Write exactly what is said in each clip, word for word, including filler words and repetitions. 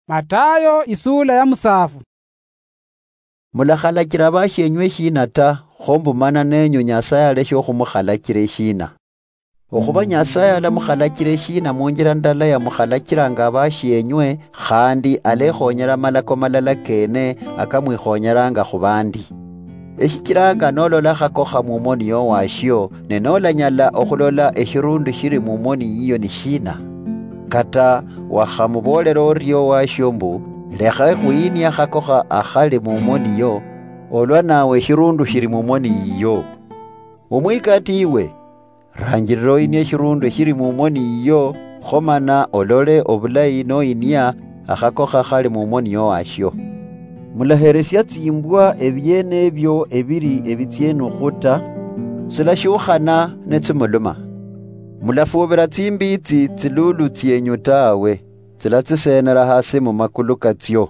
Matayo isula ya musafu. Mulakhalachira abashienywe eshina ta, kho mbu mana nenyu Nyasaye aleshe okhumukhalachira eshina? Okhuba Nyasaye alamukhalachira eshina munjira ndala yamukhalachiranga abashienywe, khandi alekhonyera amalako malala kene akamwikhonyeranga khubandi. Eshichiranga nolola khakokha mumoni yowashio, ne nolanyala okhulola eshirundu shiri mumoni yiyo ni shina? Kata wakhamuboolera orio owashio mbu, "Lekha khuyinia khakokha akhali mumoni yo," olwa nawe eshirundu shiri mumoni yiyo. Omwikati iwe, ranjirira oyinie eshirundu eshiri mumoni yiyo, kho mana olole obulayi noyinia akhakokha khali mumoni yowashio. Mulaheresia tsimbwa ebiene ebio ebiri ebitsienukhu ta, tsilashiukhana netsimuluma. Mulafuubira tsimbitsi tsilulu tsienyu tawe, tsilatsisenera hasi mumakulu katsio.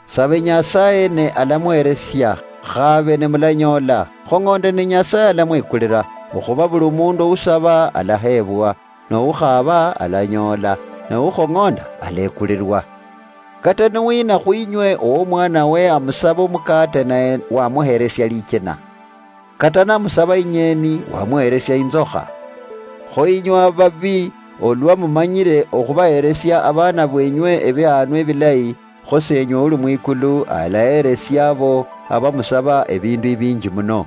Sabe Nyasaye ne alamweresia, khabe ne mulanyoola, khong'onde ne Nyasaye alamwekulira, okhuba buli omundu ousaba alaheebwa, noukhaaba alanyoola, noukhong'onda alekulirwa. Kata niwina khwinywe owo omwanawe amusaba omukate naye wamuheresia lichina? Kata namusaba inyeni wamuheresia inzokha? Kho inywe ababi, olwa mumanyire okhubaheresia abaana bwenywe ebihaanwa ebilayi, kho Seenywe uli mwikulu alaheresia abo abamusaba ebindu ebinji muno.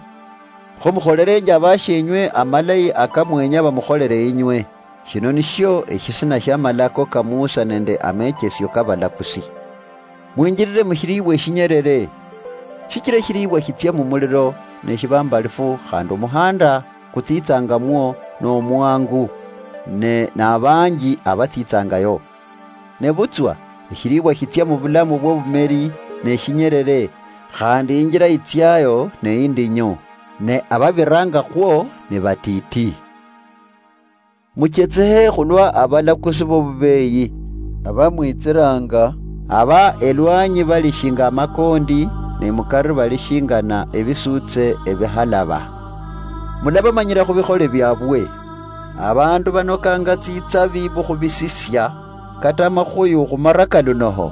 Kho mukholerenje abashienywe amalayi akamwenya bamukholere inywe. Shino nishio eshisina shia malako ka Musa nende amechesio ka balakusi. Mwinjirire mushiriibwa eshinyerere, shichira eshiriibwa shitsia mumuliro neshibambalifu, khandi omuhanda kutsitsangamwo nomwangu, ne nabanji abatsitsangayo. Nebutswa eshiriibwa shitsia mubulamu bwobumeri neshinyerere, khandi injira itsiayo neindinyu, ne ababiranga khwo nibatiti. Muchetsehe khulwa abalakusi bobubeyi, abamwitsiranga, aba elwanyi bali shinga amakondi, ne mukari bali shingana ebisutse ebihalaba. Mulabamanyira khubikhole biabwe. Abandu banokanga tsitsabi bukhubisisia, kata amakhuyu khumara kalunoho.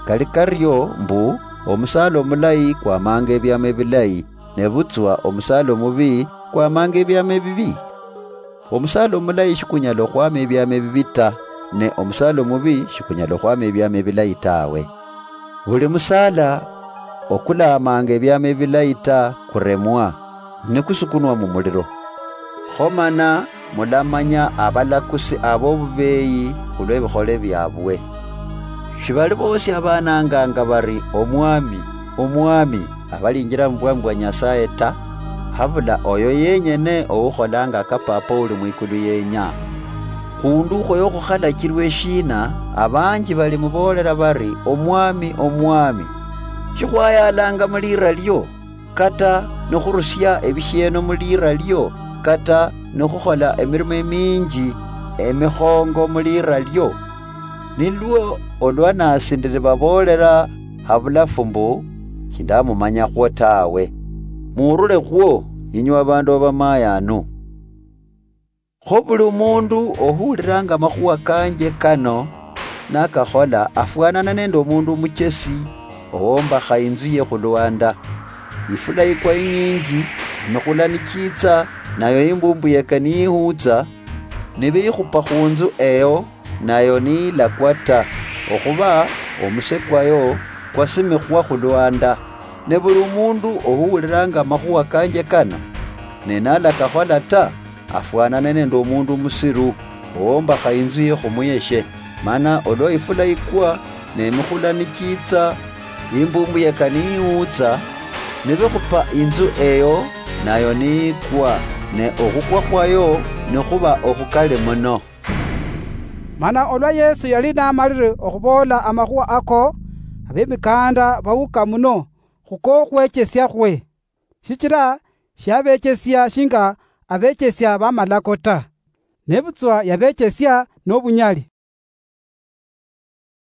Kali kario mbu, omusaala omulayi kwamanga ebiamo ebilayi, nebutswa omusaala omubi kwamanga ebiamo ebibi. Omusaala omulayi shikunyala okhwama ebiamo ebibi ta, ne omusaala omubi shikunyala okhwama ebiamo ebilayi tawe. Buli musaala okulamanga ebiamo ebilayi ta kuremwa, nikusukunwa mumuliro. Kho mana mulamanya abalakusi abobubeyi khulwebikhole biabwe. Shibali bosi abananganga bari, "Omwami, Omwami," abalinjira mubwami bwa Nyasaye ta, habula oyo yenyene oukholanga ka Papa uli mwikulu yenya. Khundu khoyo khukhalachirwa eshina, abanji balimuboolera bari, "Omwami, Omwami, shikhwayalanga mulira lio, kata nikhurusia ebishieno mulira lio, kata nikhukhola emirimo eminji emikhongo mulira lio?" Nilwo olwa nasi ndiribaboolera habulafu mbu, "Shindamumanyakhwo tawe. Muurule khwo, inywe abandu abamayanu." Kho buli omundu ohuuliranga amakhuwa kanje kano nakakhola, afwanana nende omundu omuchesi owombakha inzu ye khulwanda. Ifula yikwa inyinji, emikhula nichiitsa, nayo imbumbu yeka niyihuutsa, nibiyikhupa khunzu eyo, nayo niyilakwa ta, okhuba omuse kwayo kwasimikhwa khulwanda. Ne buli omundu ohuwuliranga amakhuwa kanje kano, ne nalakakhola ta, afwanane nende omundu omusiru, owombakha inzu ye khumuyeshe. Mana olwa ifula yikwa, ne emikhula nichiitsa, imbumbu yeka niyiwutsa, nibikhupa inzu eyo, nayo niyikwa, ne okhukwa khwayo nikhuba okhukali muno. Mana olwa Yesu yali namalire okhuboola amakhuwa ako, abemikaanda bawuka muno khukokhwechesiakhwe, shichira shiabechesia shinga abechesia bamalako ta, nebutswa yabechesia nobunyali.